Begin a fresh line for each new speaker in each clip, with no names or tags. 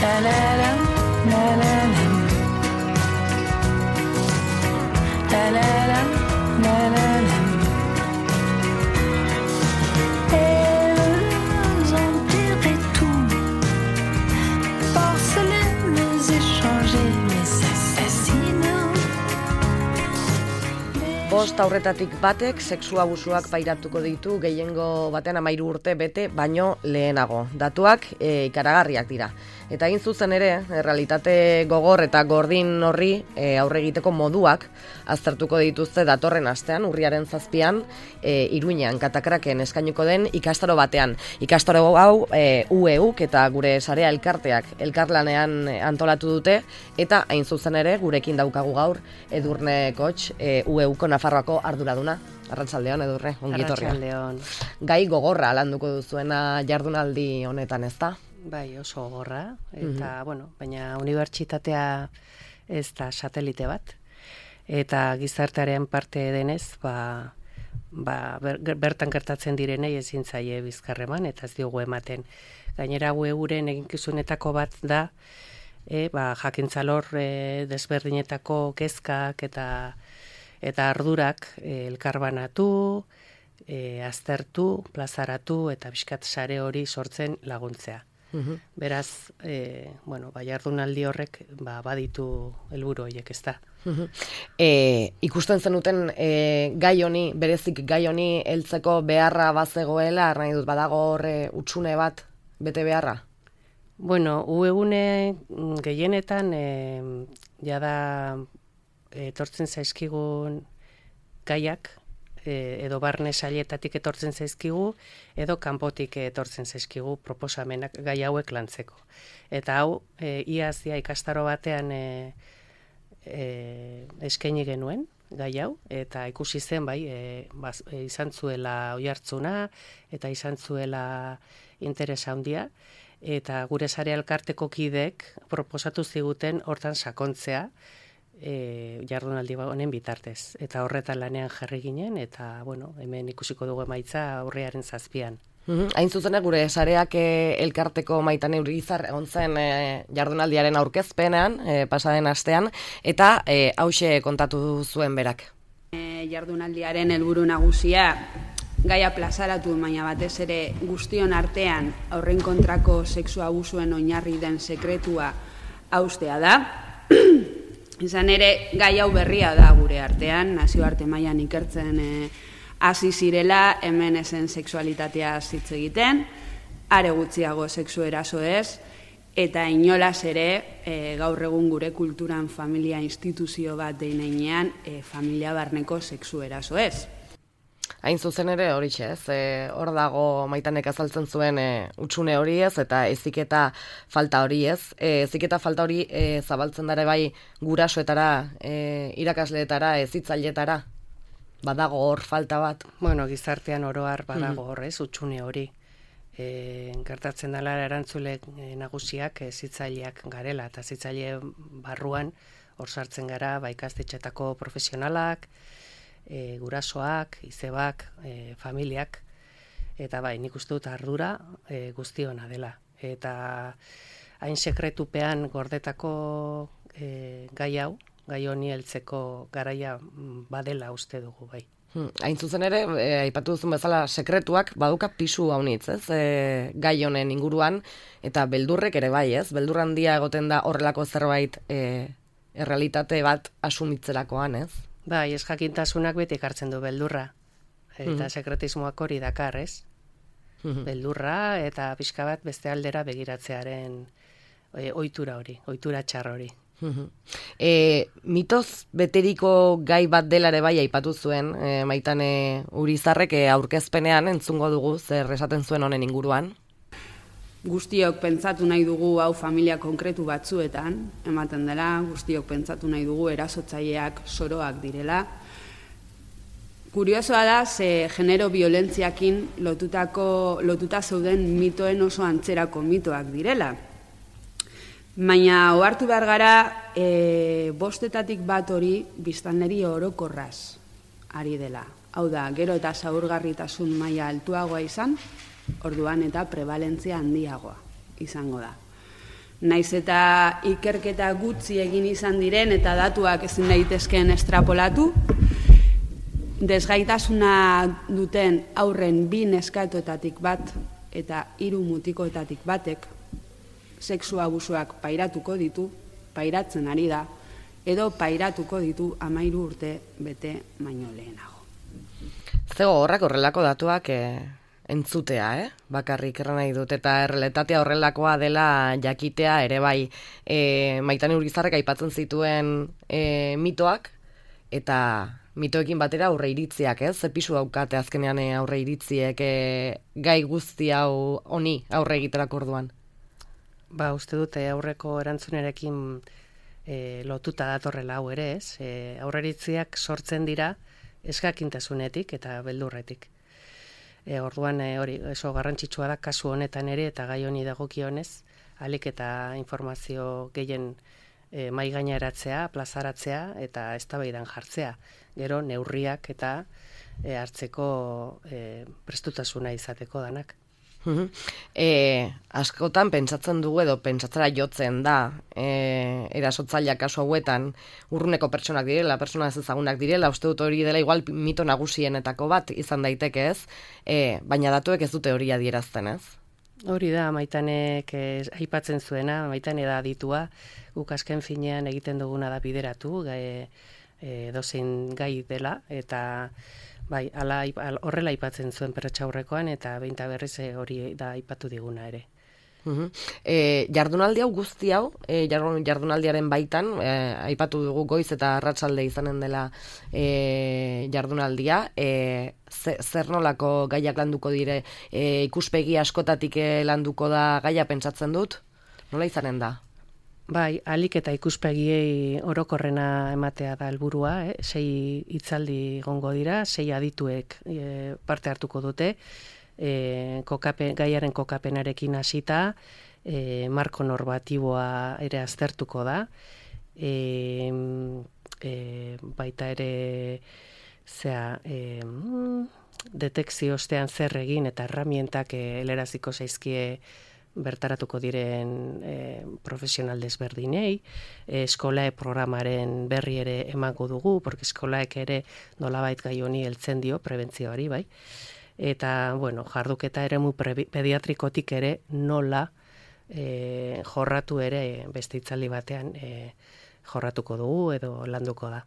La la la, la la la. La la la, la la la. Elles ont tiré tout. Porcelaine échangées, mais assassinat.
Bost aurretatik batek sexu abusuak pairatuko ditu gehiengo baten 13 urte bete baino lehenago. Datuak ikaragarriak dira. Eta egin zuzen ere, realitate gogor eta gordin horri aurre egiteko moduak aztertuko dituzte datorren astean, urriaren 7an, Iruinean Katakraken eskainiko den ikastaro batean. Ikastaro hau UEUk eta gure sarea elkarteak elkarlanean antolatu dute, eta hain zuzen ere gurekin daukagu gaur Edurne Koch, UEUko Nafarroako arduraduna. Arratsaldeon, Edurne, ongi etorria.
Arratsaldeon.
Gai gogorra landuko duzuena jardunaldi honetan, ezta?
Bai, oso gogorra, eta, baina unibertsitatea ez da satelite bat, eta gizartearen parte denez, bertan gertatzen direnei ezin zaie bizkarreman, eta ez diogu ematen. Gainera, euren eginkizunetako bat da, jakintzalor desberdinetako kezkak eta ardurak elkarbanatu, aztertu, plazaratu, eta bizkat sare hori sortzen laguntzea. Beraz, jardunaldi horrek baditu helburu horiek, ez da.
Ikusten zenuten gai honi, berezik gai honi heltzeko beharra bazegoela, nahi dut badago horre hutsune bat bete beharra?
Uegune gehienetan jada etortzen zaizkigun gaiak, edo barne sailetatik etortzen zaizkigu, edo kanpotik etortzen zaizkigu proposamenak gai hauek lantzeko. Eta hau, iazia ikastaro batean eskaini genuen, gai hau, eta ikusi zen, izan zuela oihartzuna, eta izan zuela interesa handia, eta gure sare elkarteko kideek proposatu ziguten hortan sakontzea, jardunaldi honen bitartez. Eta horretan lanean jarri ginen, eta hemen ikusiko dugu emaitza aurriaren 7an.
Hain zuzena gure sareak elkarteko Maitane Urizar egon zen jardunaldiaren aurkezpenean, pasaden astean, eta hauxe kontatu zuen berak.
Jardunaldiaren helburu nagusia gaia plazaratu, baina batez ere guztion artean aurren kontrako sexu abusuen oinarri den sekretua haustea da. Izan ere, gai hau berria da gure artean, nazioarte mailan ikertzen hasi zirela, hemen ezen sexualitatea hitz egiten, are gutxiago sexu eraso ez, eta inolaz ere, gaur egun gure kulturan familia instituzio bat deinean, familia barneko sexu eraso ez.
Hain zuzen ere horixe, ez? Hor dago Maitanek azaltzen zuen hutsune hori ez, eta heziketa falta hori ez. Heziketa falta hori zabaltzen dare bai gurasoetara, irakasleetara, hezitzaileetara. Badago hor falta bat.
Gizartean oroar badago hor, ez, hutsune hori. Gertatzen dela erantzule nagusiak hezitzaileak garela, eta hezitzaile barruan hor sartzen gara ikastetxeetako profesionalak, gurasoak, izebak, familiak, eta nik uste dut ardura guztiona dela. Eta hain sekretupean gordetako gai hau, gai honi heltzeko garaia badela uste dugu bai.
Hain zuzen ere, aipatu duzun bezala sekretuak baduka pisu haunitz, ez? Gai honen inguruan, eta beldurrek ere bai, ez? Beldur handia egoten da horrelako zerbait errealitate bat asumitzerakoan, ez?
Bai, ez jakintasunak beti ekartzen du beldurra. Eta sekretismoak hori dakar, ez? Beldurra eta pixka bat beste aldera begiratzearen ohitura hori, ohitura txar hori.
Mitoz beteriko gai bat dela ere bai aipatu zuen, Maitane Urizarrek aurkezpenean entzungo dugu zer esaten zuen honen inguruan.
Guztiok pentsatu nahi dugu hau familia konkretu batzuetan, ematen dela, guztiok pentsatu nahi dugu erasotzaileak soroak direla. Kuriosoa da, ze genero violentziakin lotuta zeuden mitoen oso antzerako mitoak direla. Baina ohartu behar gara, bostetatik bat hori biztanleri orokorraz ari dela. Hau da, gero eta zaurgarritasun maila altuagoa izan, orduan eta prebalentzia handiagoa izango da. Naiz eta ikerketa gutxi egin izan diren eta datuak ezin daitezkeen estrapolatu, desgaitasuna duten aurren 2 neskatoetatik bat eta 3 mutikoetatik batek sexu abusuak pairatuko ditu, pairatzen ari da, edo pairatuko ditu 13 urte bete baino lehenago.
Zego horrak horrelako datuak entzutea, bakarrik erran nahi dut, eta errealitatea horrelakoa dela jakitea ere bai. Maitane Urizarrek aipatzen zituen mitoak, eta mitoekin batera aurre iritziak, ez? Ze pisu daukate azkenean aurre iritziek gai guzti hau honi aurre egiterako orduan?
Ba, uste dute aurreko erantzunerekin lotuta datorrela hau ere, ez? Aurre iritziak sortzen dira eskakintasunetik eta beldurretik. Orduan hori oso garrantzitsua da kasu honetan ere eta gai honi dagokionez, ahalik eta informazio gehien mahai gaineratzea, plazaratzea eta eztabaidan jartzea. Gero neurriak eta hartzeko prestutasuna izateko danak.
Askotan pentsatzen dugu edo pentsatzera jotzen da erasotzaileak kasu hauetan urruneko pertsonak direla, pertsona ez ezagunak direla, uste dut hori dela igual mito nagusienetako bat izan daiteke, ez? Baina datuek ez dute hori adierazten, ez?
Hori da, Maitanek aipatzen zuena, Maitane da aditua, guk azken finean egiten duguna da bideratu, dozein gai dela, eta bai, horrela aipatzen zuen perretxaurrekoan, eta behinta berriz hori da aipatu diguna ere.
Jardunaldi hau guzti hau, jardunaldiaren baitan, aipatu dugu goiz eta arratsalde izanen dela jardunaldia, zer nolako gaiak landuko dire, ikuspegi askotatik landuko da gaia pentsatzen dut, nola izanen da?
Bai, ahalik eta ikuspegiei orokorrena ematea da helburua, 6 hitzaldi egongo dira, 6 adituek parte hartuko dute, gaiaren kokapenarekin hasita, marko normatiboa ere aztertuko da, baita ere detekzio ostean zer egin eta herramientak heleraziko zaizkie bertaratuko diren profesional desberdinei, eskolae programaren berri ere emango dugu, porque eskolaek ere nolabait gai honi heltzen dio, prebentzioari, bai. Eta, bueno, jarduketa eremu pediatrikotik ere nola jorratu ere beste hitzaldi batean jorratuko dugu edo landuko da.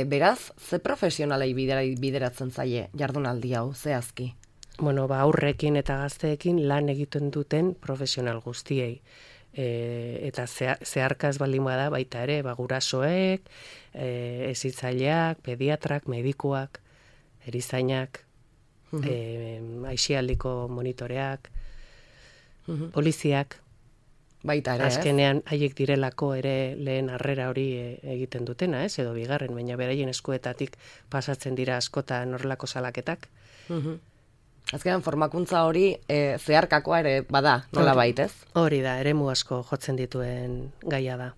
Beraz, ze profesionalei bideratzen zaie jardunaldi hau, zehazki?
Bueno, aurrekin eta gazteekin lan egiten duten profesional guztiei. Eta zeharkaz baldin bada baita ere, gurasoek, hezitzaileak, pediatrak, medikuak, erizainak, aisialdiko monitoreak, poliziak,
baita ere,
azkenean haiek direlako ere lehen harrera hori egiten dutena, edo bigarren, baina beraien eskuetatik pasatzen dira askotan horrelako salaketak.
Azkenean formakuntza hori zeharkakoa ere bada, nola baitez?
Hori da, eremu asko jotzen dituen gaia da.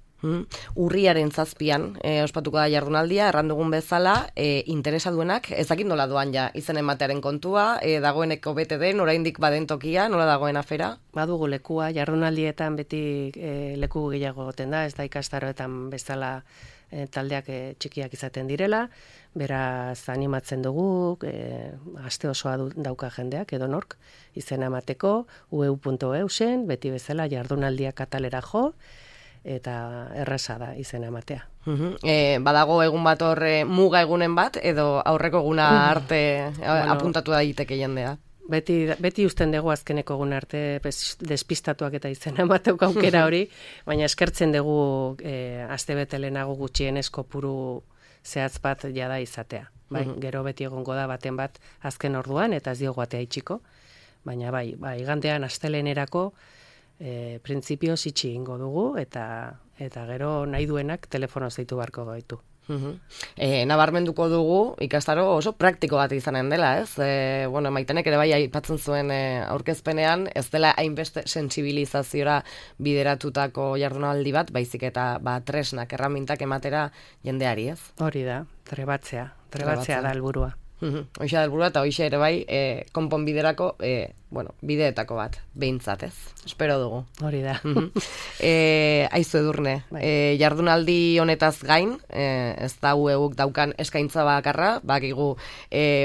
Urriaren 7 ospatuko da jardunaldia, errandugun bezala, interesa duenak, ezakit nola doan ja izen ematearen kontua, dagoeneko bete den, oraindik baden tokia, nola dagoen afera?
Badugu lekua, jardunaldietan beti leku gehiago goten da, ez da ikastaroetan bezala taldeak txikiak izaten direla, beraz animatzen dugu, aste osoa dauka jendeak edo nork, izena emateko, ueu.eusen, beti bezala jardunaldiak atalera jo, eta erraza da izena ematea.
Badago egun bat horre muga egunen bat, edo aurreko eguna arte apuntatu daiteke jendea?
Beti usten dugu azkeneko egun arte despistatuak eta izena emateuk aukera hori, baina eskertzen dugu astebete lehenago gutxienez kopuru zehatz bat jada izatea. Bai, gero beti egongo da baten bat azken orduan eta ez diogu atea itxiko, baina bai, igandean astelehenerako printzipioz itxi ingo dugu eta gero nahi duenak telefono zeitu barko gaitu.
Nabarmenduko dugu ikastaro oso praktiko bat izanen dela, ez? Maitenek ere bai aipatzen zuen aurkezpenean, ez dela hainbeste sentsibilizaziora bideratutako jardunaldi bat, baizik eta tresnak, erramintak ematera jendeari, ez?
Hori da, trebatzea da helburua.
Hoxe da helburua eta hoxe ere bai, konponbiderako, bideetako bat, behintzat ez. Espero dugu.
Hori da.
Aizu Edurne, jardunaldi honetaz gain, ez da eguk daukan eskaintza bakarra, bakigu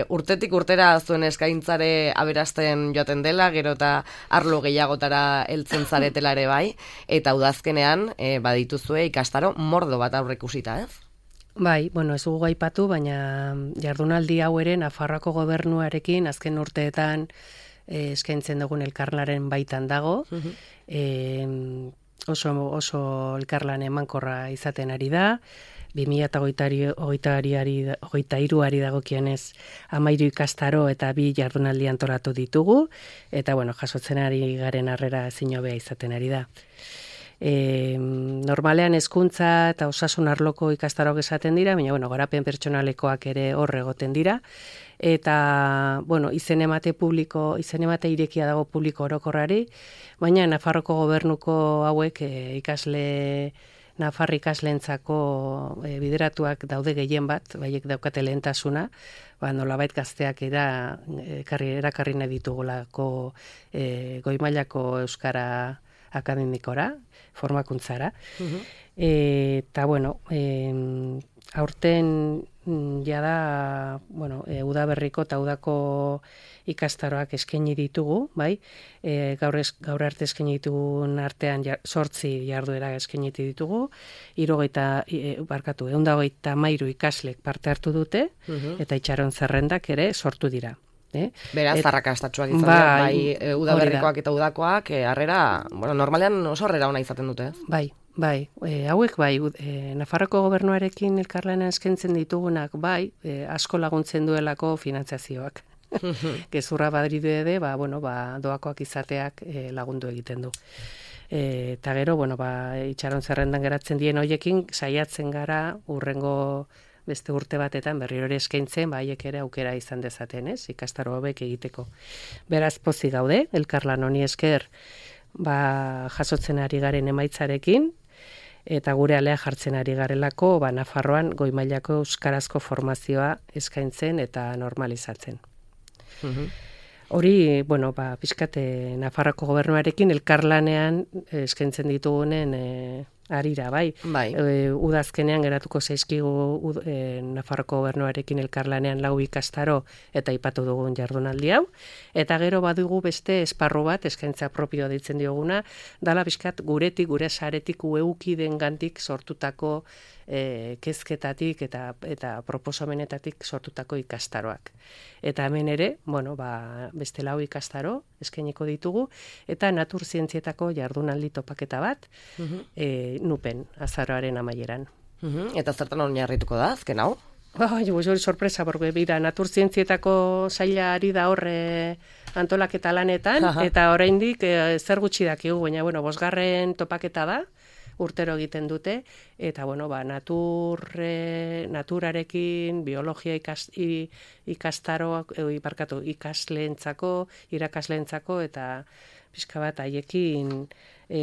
urtetik urtera zuen eskaintzare aberasten joaten dela, gero eta arlo gehiagotara heltzen zaretela ere bai, eta udazkenean badituzue ikastaro mordo bat aurreikusita, ez?
Bai, ez dugu aipatu, baina jardunaldi hau ere Nafarroako gobernuarekin azken urteetan eskaintzen dugun elkarlaren baitan dago. Oso elkarlan emankorra izaten ari da. 2023 dagokienez 13 ikastaro eta 2 jardunaldi antolatu ditugu, eta jasotzen ari garen harrera ezin hobea izaten ari da. Normalean hezkuntza eta osasun arloko ikastarok esaten dira, baina garapen pertsonalekoak ere hor egoten dira, eta izen emate irekia dago publiko orokorrari, baina Nafarroko gobernuko hauek Nafar ikasleentzako bideratuak daude gehien bat, baiek daukate lehentasuna, nolabait gazteak erakarri nahi ditugulako goi mailako euskara akademikora, formakuntzara. Eta, aurten jada, udaberriko eta udako ikastaroak eskaini ditugu, bai? Gaur arte eskaini ditugun artean 8 jarduera eskaini ditugu, 123 ikaslek parte hartu dute, eta itxaron zerrendak ere sortu dira.
Beraz, arrakastatsuak izan dira, bai udaberrikoak eta udakoak, harrera, normalean oso harrera ona izaten dute.
Bai, hauek Nafarroko gobernuarekin elkarlana eskaintzen ditugunak, asko laguntzen duelako finantzazioak. Gezurra badridu ere, doakoak izateak lagundu egiten du. Eta gero, itxaron zerrendan geratzen dien hoiekin, saiatzen gara urrengo beste urte batetan berriro ere eskaintzen, haiek ere aukera izan dezaten, ikastaro hobek egiteko. Beraz pozik gaude, elkarlan honi esker jasotzen ari garen emaitzarekin, eta gure alea jartzen ari garelako, Nafarroan goi mailako euskarazko formazioa eskaintzen eta normalizatzen. Hori, pixkate Nafarroko gobernuarekin elkarlanean eskaintzen ditugunen arira, bai. Udazkenean geratuko zaizkigu Nafarroko gobernuarekin elkarlanean 4 ikastaro eta aipatu dugun jardunaldi hau. Eta gero badugu beste esparru bat, eskaintza propioa deitzen dioguna, dala pixkat guretik, gure saretik ueukiden gantik sortutako kezketatik eta proposamenetatik sortutako ikastaroak. Eta hemen ere, beste 4 ikastaro eskainiko ditugu, eta natur zientzietako jardunaldi topaketa bat, nupen, azaroaren amaieran.
Eta zertan oinarrituko da, azken hau?
Hori sorpresa, porque natur zientzietako saila ari da horre antolaketa lanetan, eta oraindik zer gutxi dakigu, baina 5. topaketa da, urtero egiten dute, eta naturarekin, biologia ikastaroak, ikasleentzako, irakasleentzako, eta pixka bat haiekin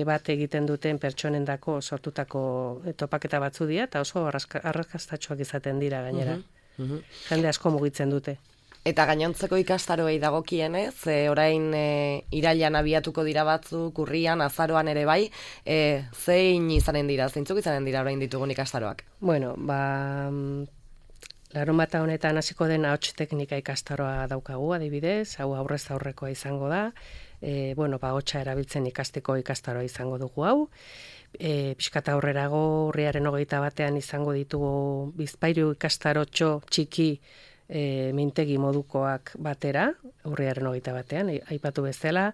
bat egiten duten pertsonendako sortutako topaketa batzu dira, eta oso arrakastatxoak izaten dira gainera. Jende asko mugitzen dute.
Eta gainontzeko ikastaroei dagokienez, orain irailan abiatuko dira batzuk, urrian, azaroan ere bai, zein izanen dira, zeintzuk izanen dira orain ditugun ikastaroak?
Larunbata honetan hasiko den ahots teknika ikastaroa daukagu, adibidez, hau aurrez aurrekoa izango da, ahotsa erabiltzen ikasteko ikastaroa izango dugu hau, pixkata aurrerago urriaren 21 izango ditugu Bizpahiru ikastarotxo txiki mintegi modukoak batera, urriaren 21, aipatu bezala,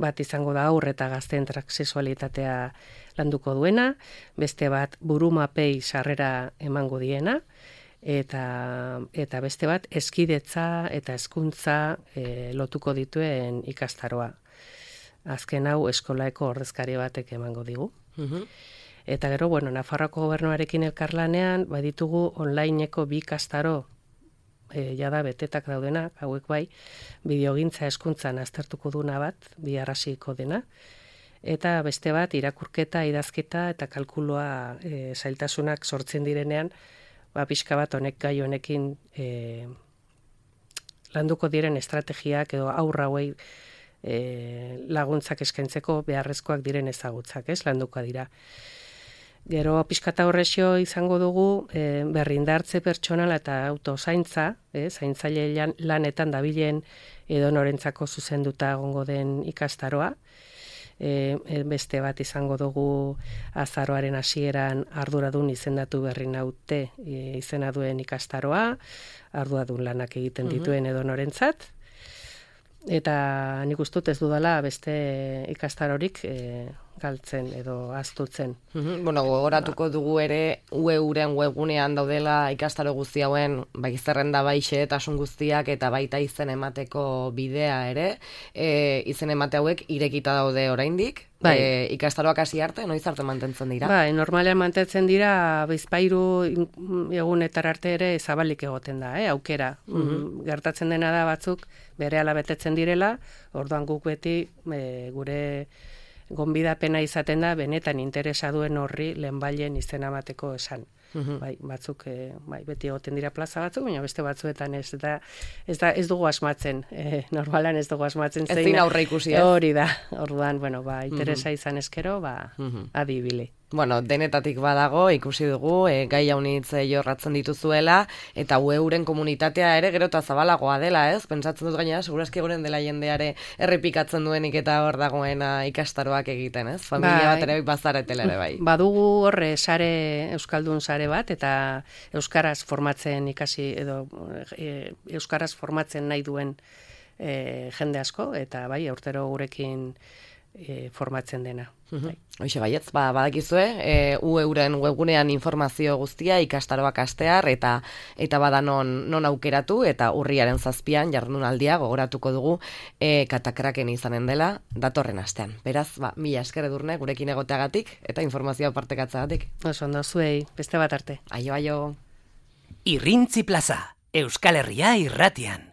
bat izango da aurre eta gazteen transexualitatea landuko duena, beste bat burumapei sarrera emango diena, eta beste bat eskidetza eta hezkuntza lotuko dituen ikastaroa. Azken hau eskolaeko ordezkari batek emango digu. Eta gero, Nafarroako gobernuarekin elkarlanean, baditugu onlineko 2 ikastaro jada betetak daudenak, hauek bai, bideogintza hezkuntzan aztertuko duna bat, biharrasiko dena, eta beste bat irakurketa, idazketa eta kalkulua zailtasunak sortzen direnean, pixka bat honek gai honekin landuko diren estrategiak edo aurra hauei laguntzak eskaintzeko beharrezkoak diren ezagutzak, landuko dira. Gero pixkata horrexio izango dugu berrindartze pertsonala eta autozaintza, zaintzaile lanetan dabilen edo norentzako zuzenduta egongo den ikastaroa. Beste bat izango dugu azaroaren hasieran arduradun izendatu berri naute izena duen ikastaroa, arduradun lanak egiten dituen edo norentzat. Eta nik ustut ez dudala beste ikastarorik galtzen edo ahaztutzen.
Bueno, gogoratuko dugu ere UEUren webgunean daudela ikastaro guzti hauen bai zerrenda bai xehetasun guztiak eta baita izen emateko bidea ere. Izen emate hauek irekita daude oraindik. Ikastaroak hasi arte, noiz arte mantentzen dira?
Normalean mantentzen dira bizpairu egunetar arte ere zabalik egoten da, aukera. Gertatzen dena da batzuk berehala betetzen direla, orduan guk beti gure gonbidapena izaten da benetan interesa duen horri lehenbailen izena emateko esan. Batzuk beti egoten dira plaza batzuk, baina beste batzuetan ez dugu asmatzen. Normalan ez dugu asmatzen zein.
Ez din aurre ikusi,
Hori da. Orduan, interesa izan eskero, adibili.
Bueno, denetatik badago, ikusi dugu, gai haunitz jorratzen dituzuela, eta UEUren komunitatea ere gero eta zabalagoa dela, ez? Pentsatzen dut gainera, segurazki egunen dela jendeare errepikatzen duenik eta hor dagoena ikastaroak egiten, ez? Familia bat ere bazaretela ere bai.
Badugu horre euskaldun sare bat, eta euskaraz formatzen ikasi, edo euskaraz formatzen nahi duen jende asko, eta urtero gurekin formatzen dena.
Hoxe baietz, badakizue, UEUren webgunean informazio guztia ikastaroak hastear eta bada non aukeratu eta urriaren 7an jardunaldia gogoratuko dugu katakraken izanen dela datorren astean. Beraz, mila esker Edurne gurekin egoteagatik eta informazioa partekatzagatik.
Oso ondo zuei, beste bat arte.
Aio.
Irrintzi Plaza, Euskal Herria irratian.